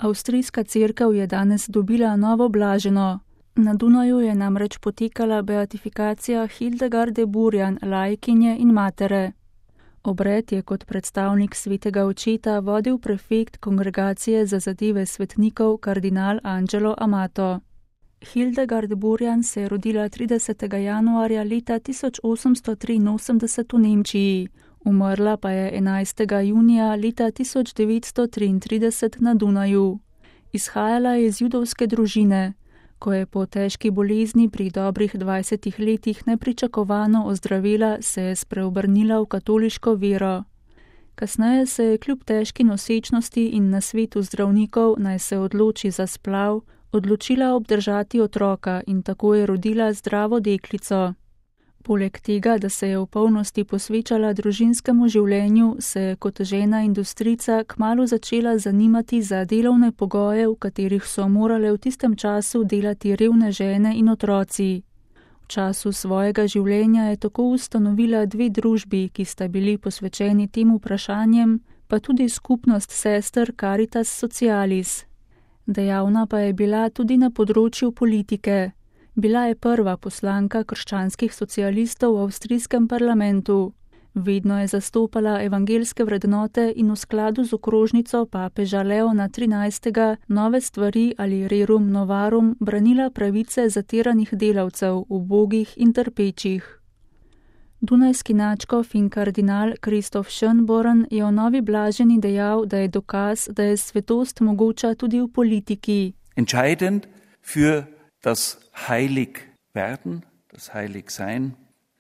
Avstrijska cerkev je danes dobila novo blaženo. Na Dunaju je namreč potekala beatifikacija Hildegarde Burjan, laikinje in matere. Obred je kot predstavnik svetega očeta vodil prefekt Kongregacije za zadeve svetnikov kardinal Angelo Amato. Hildegard Burjan se je rodila 30. januarja leta 1883 v Nemčiji, umrla pa je 11. junija leta 1933 na Dunaju. Izhajala je iz judovske družine. Ko je po težki bolezni pri dobrih 20 letih nepričakovano ozdravela, se je spreobrnila v katoliško vero. Kasneje se je kljub težki nosečnosti in nasvetu zdravnikov, naj se odloči za splav, odločila obdržati otroka in tako je rodila zdravo deklico. Poleg tega, da se je v polnosti posvečala družinskemu življenju, se je kot žena industrijca kmalu začela zanimati za delovne pogoje, v katerih so morale v tistem času delati revne žene in otroci. V času svojega življenja je tako ustanovila 2 družbi, ki sta bili posvečeni tem vprašanjem, pa tudi skupnost sester Caritas Socialis. Dejavna pa je bila tudi na področju politike. Bila je prva poslanka krščanskih socialistov v avstrijskem parlamentu. Vedno je zastopala evangeljske vrednote in v skladu z okrožnico papeža Leona XIII. Nove stvari ali rerum novarum branila pravice zatiranih delavcev, ubogih in trpečih. Dunajski nadškof in kardinal Christoph Schönborn je o novi blaženi dejal, da je dokaz, da je svetost mogoča tudi v politiki. Entscheidend für das Heiligwerden, das Heiligsein,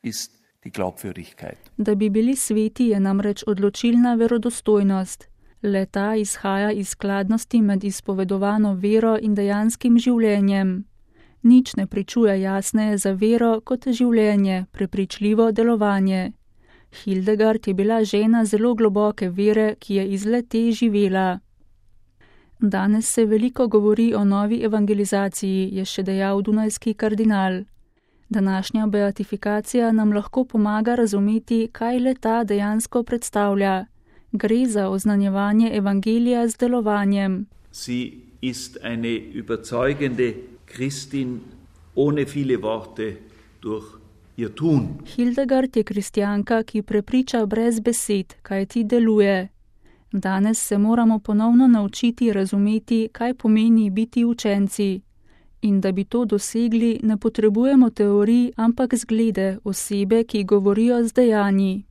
ist die Glaubwürdigkeit. Da bi bili sveti, je namreč odločilna verodostojnost. Le ta izhaja iz skladnosti med izpovedovano vero in dejanskim življenjem. Nič ne pričuje jasneje za vero kot življenje, prepričljivo delovanje. Hildegard je bila žena zelo globoke vere, ki je iz le-te živela. Danes se veliko govori o novi evangelizaciji, je še dejal dunajski kardinal. Današnja beatifikacija nam lahko pomaga razumeti, kaj le-ta dejansko predstavlja. Gre za oznanjevanje evangelija z delovanjem. Sie ist eine überzeugende Christin ohne viele Worte durch ihr Tun. Hildegard je kristjanka, ki prepriča brez besed, kaj ti deluje. Danes se moramo ponovno naučiti razumeti, kaj pomeni biti učenci. In da bi to dosegli, ne potrebujemo teorij, ampak zglede, osebe, ki govorijo z dejanji.